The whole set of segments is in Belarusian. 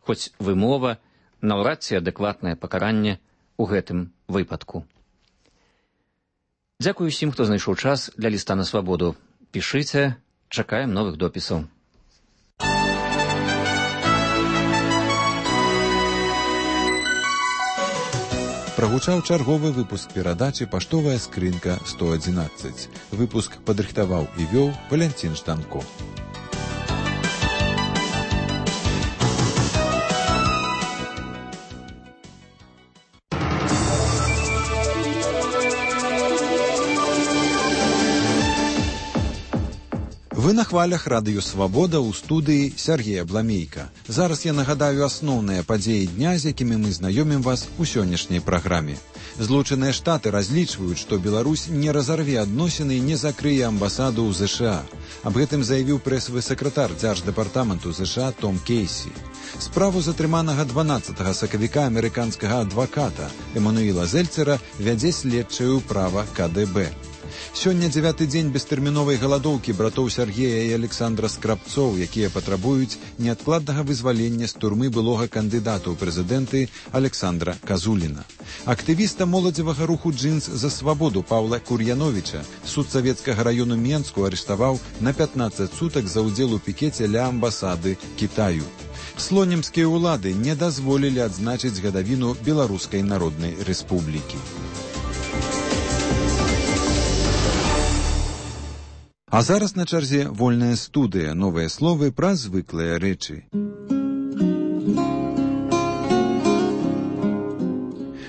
хоць вымова наўрад ці адэкватнае пакаранне ў гэтым выпадку. Дзякую усім, хто знайшоў час для ліста на свабоду. Пішыце, чакаем новых допісаў. Прагучаў чарговы выпуск перадачы «Паштовая скрынка 111». Выпуск падрыхтаваў і вёў Валянцін Жданко. Вы на хвалях радыё «Свабода» ў студыі Сергея Бламейка. Зараз я нагадаю асноўныя падзеі дня, з якімі мы знаёмім вас у сённяшняй праграме. Злучаныя Штаты разлічваюць, што Беларусь не разарве адносіны і не закрые амбасаду ў ЗША. Аб гэтым заявіў прэсавы сакратар дзярждэпартаменту ЗША Том Кейсі. Справу затрыманага 12 сакавіка амерыканскага адваката Эмануіла Зельцера вядзе следчае ўправа КДБ. Сёння 9-ты дзень бестэрміновай галадоўкі братоў Сергея і Александра Скрабцоў, якія патрабуюць неадкладнага вызвалення з турмы былога кандыдата ў прэзідэнты Александра Казуліна. Актывіста моладзевага руху «Джинс за свабоду» Паўла Кур'яновіча суд савецкага раёну Менску арыштаваў на 15 сутак за ўдзел у пікеце ля амбасады Кітаю. Слонімскія ўлады не дазволілі адзначыць гадавіну Беларускай Народнай Рэспублікі. А зараз на чарзе вольная студыя, новыя словы пра звыклыя рэчы.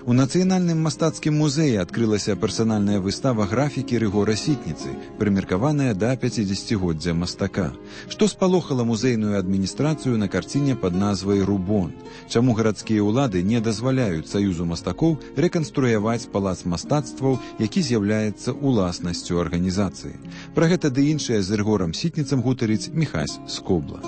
У Нацыянальным мастацкім музеі адкрылася персанальная выстава графікі Рыгора Сітніцы, прымеркаваная да 50-годдзя мастака. Што спалохала музейную адміністрацыю на карціне пад назвай «Рубон»? Чаму гарадскія ўлады не дазваляюць Саюзу мастакоў рэканструяваць палац мастацтваў, які з'яўляецца уласнасцю арганізацыі? Пра гэта ды іншае з Рыгорам Сітніцам гутарыць Міхась Скобла.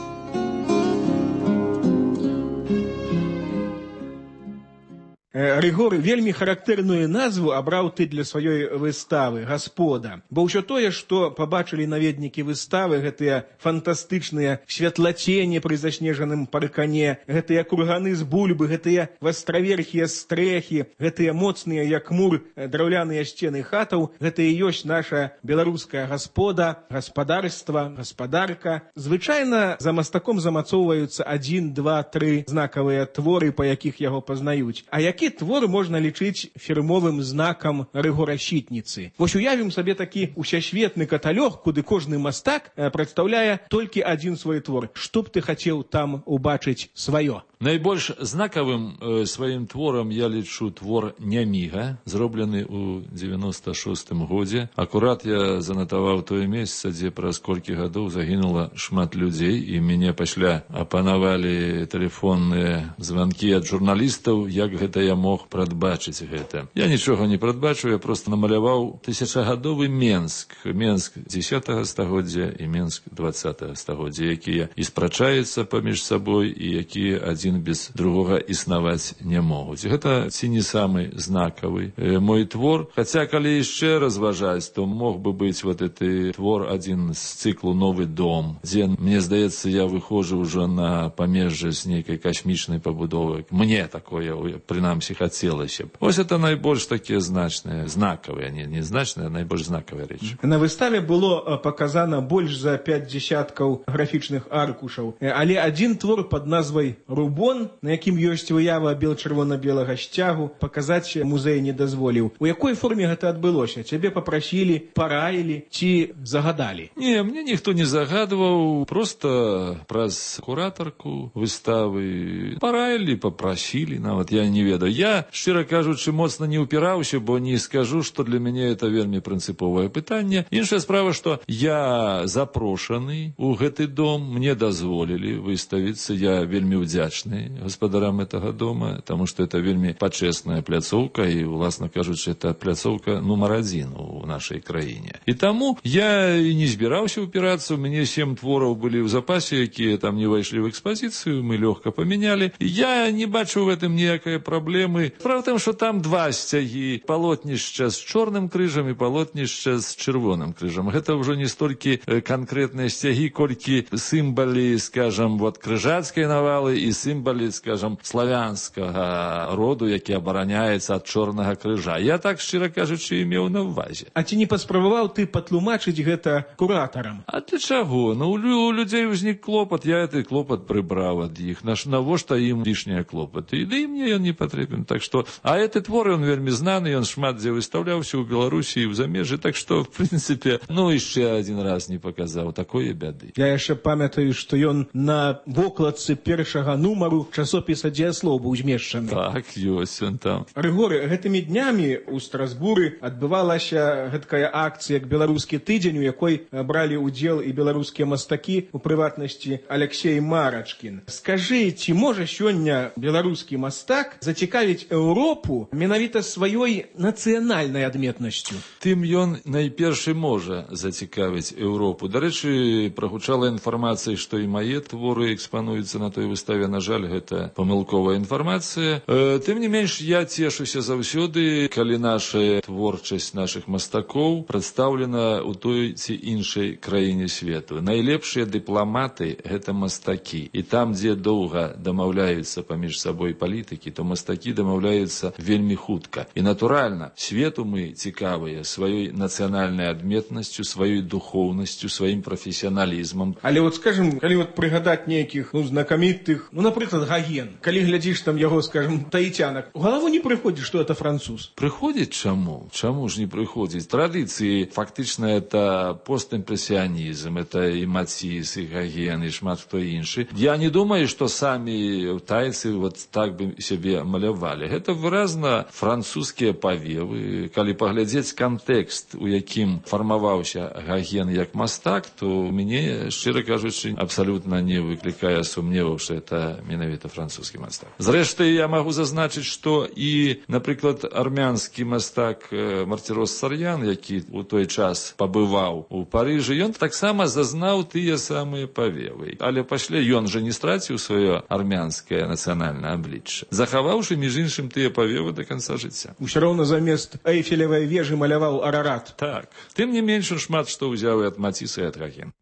Рыгор вельмі характэрную назву абраў ты для сваёй выставы «Гаспода». Бо ўсё тое, што пабачылі наведнікі выставы, гэтыя фантастычныя святлацені пры заснежаным паркане, гэтыя курганы з бульбы, гэтыя вастраверхія стрэхі, гэтыя моцныя, як мур, драўляныя сцены хатаў, гэта і ёсць наша беларуская гаспода, гаспадарства, гаспадарка. Звычайна за мастаком замацоўваюцца 1, 2, 3 знакавыя творы, па якіх яго пазнаюць. А які твор можна лічыць фірмовым знакам Рыгора Сітніцы? Вось уявім сабе такі усесветны каталог, куды кожны мастак прадстаўляе толькі адзін свой твор. Што б ты хацеў там убачыць сваё? Найбольш знакавым сваім творам я лічу твор «Няміга», зроблены ў 96-м годзе. Акурат я занатаваў тое месца, дзе праз колькі гадоў загінула шмат людзей, і мяне пасля апанавалі тэлефонныя званкі ад журналістаў, як гэта я мог прадбачыць гэта. Я нічога не прадбачу, я проста намаляваў тысячагадовы Менск. Менск 10-го стагоддзя і Менск 20-го стагоддзя, якія і спрачаюцца паміж сабой, і якія адзін без другога існаваць не могуць. Гэта ці не самы знакавы мой твор. Хаця, калі яшчэ разважаць, то мог бы быць вот гэты твор адзін з цыклу «Новы дом», дзе, мне здаецца, я выходжу ўжо на памежжа з нейкай касмічнай пабудовы. Мне такое, прынамсі, хацелася б. Вось это найбольш такія значныя, знакавыя, не значныя, а найбольш знакавыя рэчы. На выставе было паказана больш за 5 дзесяткаў графічных аркушаў, але адзін твор пад назвай «Рубон», на якім ёсць выява бел-чырвона-белага сцягу, паказаць музей не дазволіў. У якой форме гэта адбылося? Цябе папрасілі, параілі ці загадалі? Не, мне ніхто не загадваў, проста праз куратарку выставы параілі, папрасілі, нават я не ведаю. Я, шчыра кажучы, моцна не ўпіраўся, бо не скажу, што для мяне это вельмі прынцыповае пытанне. Іншая справа, што я запрошаны ў гэты дом, мне дазволілі выставіцца, я вельмі ўдзячны гаспадарам гэтага дома, таму што это вельмі пачэсная пляцоўка, і, уласна кажучы, это пляцоўка нумар 1 у нашай краіне. І таму я і не збіраўся ўпірацца, у мяне 7 твораў былі ў запасе, якія там не ўвайшлі ў экспазіцыю, мы лёгка памянялі. Я не бачу ў гэтым ніякай праблемы, крыжамі. Справа в тым, што там два сцягі, палотнішча з чорным крыжам і палотнішча з чырвоным крыжам. Гэта ўжо не столькі канкрэтныя сцягі, колькі сімвалы, скажам, вот крыжацкай навалы і сімвалы, скажам, славянскага роду, які абараняецца ад чорнага крыжа. Я так, шчыра кажучы, і меў на ўвазе. А ці не паспрабаваў ты патлумачыць гэта куратарам? А для чаго? Ну, у людзей узнік клопат, я гэты клопат прыбраў ад іх. Навошта ім лішнія клопаты? І мне ён не патрэбен. Так што, а гэты твор, ён вельмі знаны, ён шмат дзе выстаўляўся ў Беларусі і ў замежжы, так што, в прынцыпе, ну, яшчэ адзін раз не паказаў такое бяды. Я яшчэ памятаю, што ён на вокладцы першага нумару часопіса «Дзеяслоў» быў змешчаны. Так, ёсць ён там. Рыгоры, гэтымі днямі ў Страсбуры адбывалася гэткая акцыя як беларускі тыдзень, у якой бралі ўдзел і беларускія мастакі, у прыватнасці Алексей Марачкін. Скажы, ці можа сёння беларускі мастак зацікавіць Еўропу менавіта сваёй нацыянальнай адметнасцю? Тым ён найперш можа зацікавіць Еўропу. Дарэчы, прагучала інфармацыя, што і мае творы экспануюцца на той выставе. На жаль, гэта памылковая інфармацыя. Тым не менш, я цешуся заўсёды, калі наша творчасць нашых мастакоў прадстаўлена ў той ці іншай краіне свету. Найлепшыя дыпламаты – гэта мастакі. І там, дзе доўга дамаўляюцца паміж сабой палітыкі, то мастакі дамаўляюцца вельмі хутка. І, натуральна, свету мы цікавыя сваёй нацыянальнай адметнасцю, сваёй духоўнасцю, сваім прафесіяналізмам. Але вот, скажем, калі вот прыгадаць нейкіх, знакамітых, напрыклад, Гоген, калі глядзіш там яго, скажем, таітянак, у галаву не прыходзіць, што это француз? Прыходзіць чаму? Чаму ж не прыходзіць? Традыцыі, фактычна, это постімпрэсіянізм, это і Маціс, і Гоген, і шмат хто іншы. Я не думаю, што самі тайцы вот так бы сябе малявалі. Гэта выразна французскія павевы. Калі паглядзець кантэкст, у якім фармаваўся Гоген як мастак, то мяне, шчыра кажучы, абсалютна не выклікае сумневаў, што это менавіта французскі мастак. Зрэшты, я магу зазначыць, што і, напрыклад, армянскі мастак Мартирос Сарьян, які у той час пабываў у Парыжы, ён таксама зазнаў тыя самыя павевы. Але пасля ён жа не страціў сваё армянскае нацыянальнае аблічча, захаваўшы, між іншым, тыя павевы да канца жыцця. Усё роўна замест Эйфелевай вежы маляваў Арарат. Так. Тым не менш, шмат што ўзяў і ад Маціса, і ад Гогена.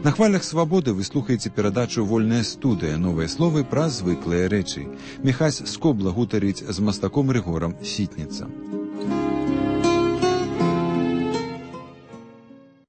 На хвалях свабоды вы слухаеце перадачу «Вольная студыя. Новыя словы пра звыклыя рэчы». Міхась Скобла гутарыць з мастаком Рыгорам Сітніцам.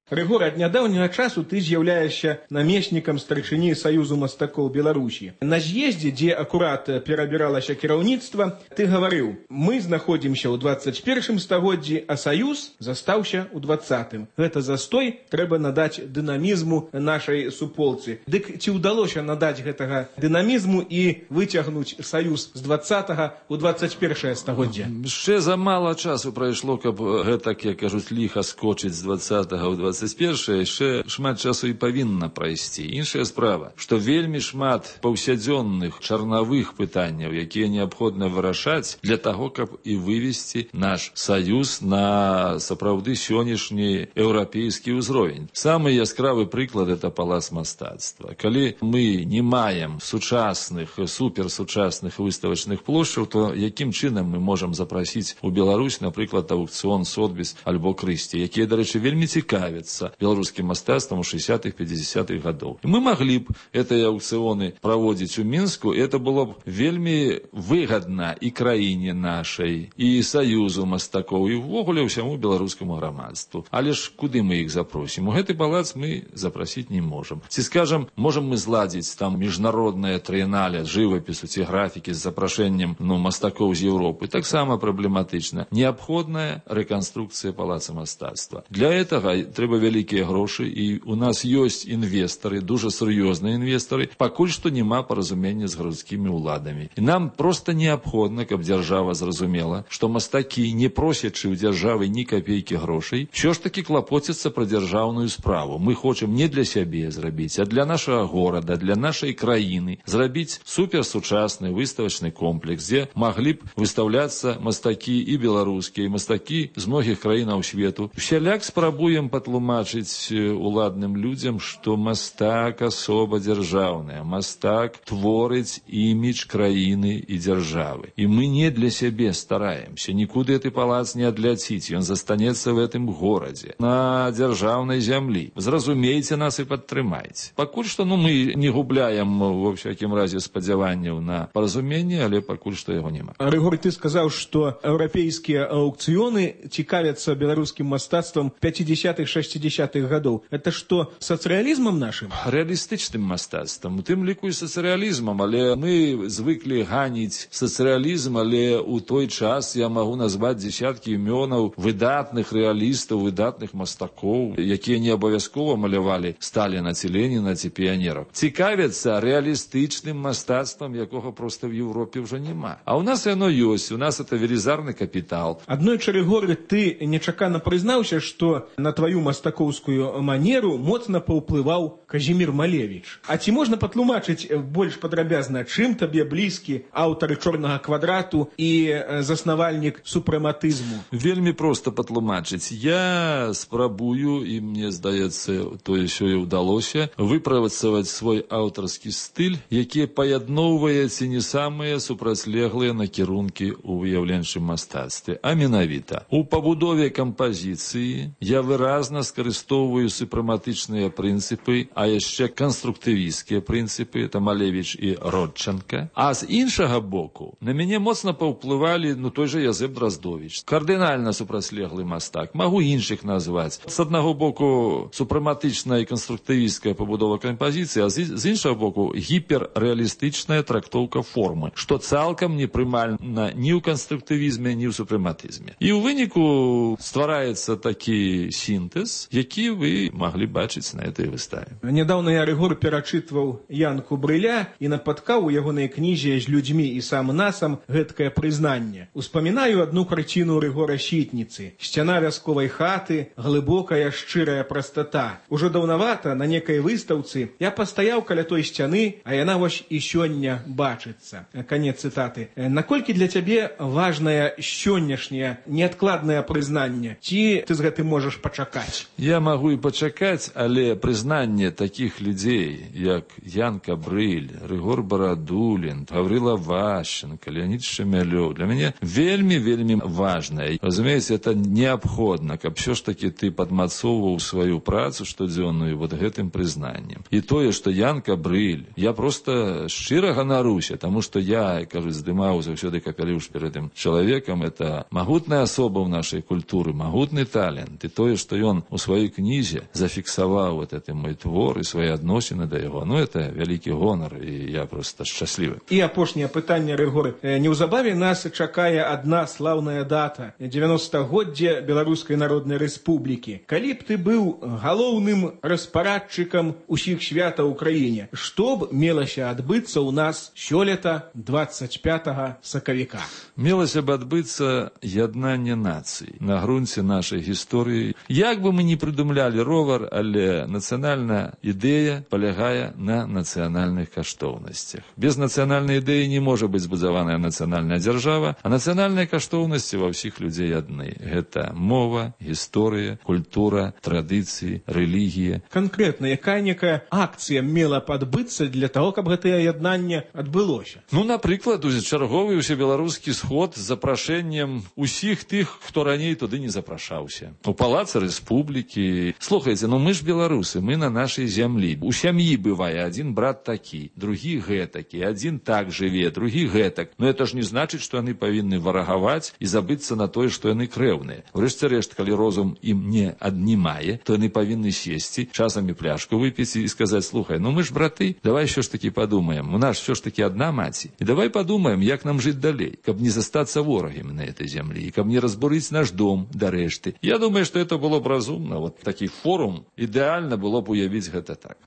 Рыгор, ад нядаўняга часу ты з'яўляешся намеснікам старшыні Саюзу мастакоў Беларусі. На з'ездзе, дзе акурат перабіралася кіраўніцтва, ты гаварыў: мы знаходзімся ў 21 стагоддзі, а Саюз застаўся ў 20-м. Гэта застой трэба надаць дынамізму нашай суполцы. Дык ці ўдалося надаць гэтага дынамізму і выцягнуць Саюз з 20-го ў 21 стагоддзе? Яшчэ замала часу прайшло, каб гэтак, як кажуць, ліха скочыць з 20-го ў 21-е, яшчэ шмат часу і павінна прайсці. Іншая справа, што вельмі шмат паўсядзённых чарнавых пытанняў, якія неабходна вырашаць для таго, каб і вывесці наш Саюз на сапраўды сённяшні еўрапейскі ўзровень. Самы яскравы прыклад – это палац мастацтва. Калі мы не маем сучасных, суперсучасных выставачных плошчаў, то якім чынам мы можам запрасіць у Беларусь, напрыклад, аукцыён Сотбіс альбо Крысці, якія, дарэчы, вельмі цікавяцца беларускім мастацтвам у 60-х, 50-х гадоў. Мы маглі б гэтыя аукцыёны праводзіць у Мінску, і это было б вельмі выгадна і краіне нашай, і Саюзу мастакоў, і ўвогуле ўсяму беларускаму грамадству. Але ж куды мы іх запросім? У гэты палац мы запрасіць не можам. Ці, скажам, можам мы зладзіць там міжнароднае трыенале жывапісу ці графікі з запрашэннем мастакоў з Еўропы? Таксама праблематычна. Неабходная рэканструкцыя палаца мастацтва. Для гэтага трэба вялікія грошы, і у нас ёсць інвестары, дуже сур'ёзныя інвестары, пакуль што няма паразумення з гарадскімі ўладамі. І нам проста неабходна, каб дзяржава зразумела, што мастакі, не просячы ў дзяржавы ні капейкі грошай, ўсё ж такі клапоцяцца пра дзяржаўную справу. Мы хочам не для сябе зрабіць, а для нашага горада, для нашай краіны зрабіць суперсучасны выставачны комплекс, дзе маглі б выстаўляцца мастакі і беларускія, і мастакі з многіх краінаў свету. Усяляк спрабуем патлумачыць патлумачыць уладным людзям, што мастак асоба дзяржаўная, мастак творыць імідж краіны і дзяржавы. І мы не для сябе стараемся, нікуды гэты палац не адляціць, ён застанецца в гэтым горадзе, на дзяржаўнай зямлі. Зразумейце нас і падтрымайце. Пакуль што мы не губляем, во всякім разе, спадзяванняў на паразуменне, але пакуль што яго няма. Рыгор, ты сказаў, што еўрапейскія аўкцыёны цікавяцца беларускім мастацтвам 50-х-60-х гадоў. Это што, сацыялізмам нашым? Рэалістычным мастацтвам, у тым ліку і сацыялізмам, але мы звыклі ганіць сацыялізм, але ў той час я магу назваць дзесяткі імёнаў выдатных рэалістаў, выдатных мастакоў, якія не абавязкова малявалі Сталіна ці Леніна ці піянераў. Цікавяцца рэалістычным мастацтвам, якога проста в Европе ўжо няма. А ў нас яно ёсць, у нас это велізарны капітал. Аднойчы, Рыгор, ты нечакана прызнаўся, што на тваю мастакоўскую манеру моцна паўплываў Казімір Малевіч. А ці можна патлумачыць больш падрабязна, чым табе блізкі аўтар «Чорнага квадрату» і заснавальнік супрэматызму? Вельмі проста патлумачыць. Я спрабую, і мне здаецца, тое сёе ўдалося, выпрацаваць свой аўтарскі стыль, які паядноўвае ці не самыя супрацьлеглыя накірункі ў выяўленчым мастацтве. А менавіта, у пабудове кампазіцыі я выразна скарыстоўваю супрэматычныя прынцыпы, а яшчэ канструктывісцкія прынцыпы, это Малевіч і Родченка. А з іншага боку, на мяне моцна паўплывалі, той же Язэп Драздовіч. Кардынальна супрацьлеглы мастак. Магу іншых назваць. З аднаго боку, супрэматычная і канструктывісцкая пабудова кампазіцыі, а з іншага боку, гіперрэалістычная трактоўка формы, што цалкам непрымальна ні ў канструктывізме, ні ў супрэматызме. І ў выніку ствараецца такі сінтэз, які вы маглі бачыць на этой выставе. Нядаўна я, Рыгор, перачытваў Янку Брыля і напаткаў у ягонай кнізе «З людзьмі і сам насам» гэткае прызнанне. Успамінаю адну карціну Рыгора Сітніцы. Сцяна вясковай хаты, глыбокая шчырая прастата. Ужо даўнавата на некай выстаўцы я пастаяў каля той сцяны, а яна вось і сёння бачыцца. Канец цытаты. Наколькі для цябе важнае сённяшняе неадкладнае прызнанне? Ці ты з гэтым можаш пачакаць? Я магу і пачакаць, але прызнанне такіх людзей, як Янка Брыль, Рыгор Барадулін, Гаврила Ващенко, Леонид Шемялёв, для мяне вельмі важнае. Разумееце, это неабходна, каб все ж таки ты падмацоўваў сваю працу штодзённую вот гэтым прызнаннем. І тое, што Янка Брыль, я просто шчыра ганаруся, таму што я, кажу, здымаў заўсёды капялюш перед этим чалавекам, это магутная асоба ў нашай культуры, магутны талент. І тое, што ён у сваёй кнізе зафіксаваў вот это мой твор і свае адносіны да яго, это вялікі гонар, і я просто шчаслівы. І апошняе пытанне, Рыгор. Неўзабаве нас чакае адна слаўная дата – 90-годдзе Беларускай Народнай Рэспублікі. Калі б ты быў галоўным распарадчыкам усіх святаў у краіне, што б мелася адбыцца ў нас сёлета 25 сакавіка? Мелася б адбыцца яднанне нацый на грунце нашай гісторыі. Як бы мы не прыдумлялі ровар, але нацыянальная ідэя палягае на нацыянальных каштоўнасцях. Без нацыянальнай ідэі не можа быць збудаваная нацыянальная дзяржава, а нацыянальныя каштоўнасці ва ўсіх людзей адны. Гэта мова, гісторыя, культура, традыцыі, рэлігія. Канкрэтна, якая акцыя мела б адбыцца для таго, каб гэтае яднанне адбылося? Напрыклад, чарговы ўсебеларускі сход з запрашэннем усіх тых, хто раней туды не запрашаўся. У палацы Рэспублікі. Слухайце, мы ж беларусы, мы на нашай зямлі. У сям'і бывае адзін брат такі, другі гэтакі, адзін так жыве, другі гэтак. Это ж не значыць, што яны павінны варагаваць і забыцца на тое, што яны крэўныя. Урэшце рэшт, калі розум ім не аднімае, то яны павінны сесці, часамі пляшку выпіць і сказаць: слухай, мы ж браты, давай що ж таки падумаем, у нас що ж таки адна маці. І давай падумаем, як нам жыць далей, каб не застацца ворагамі на этой зямлі, каб не разбурыць наш дом да рэшты. Я думаю, што это было б разумна. Вот такі форум ідэальна было б уявіць гэта так.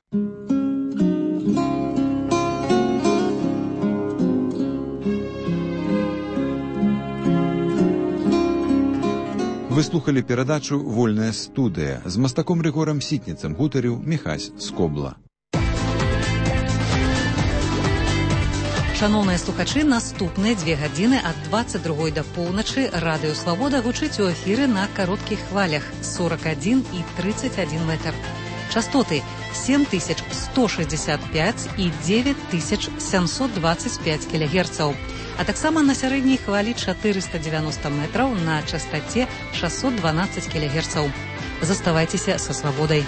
Вы слухали перадачу «Вольная студыя». З мастаком Рыгорам Сітніцам гутарыў Міхась Скобла. Шановныя слухачы, наступныя 2 гадзіны ад 22 да поўначы радыё «Свабода» гучыць у эфіры на кароткіх хвалях 41 і 31 метр. Частоты 7165 і 9725 кГц, а таксама на сярэдняй хвалі 490 метраў на частаце 612 кГц. Заставайцеся са «Свабодай».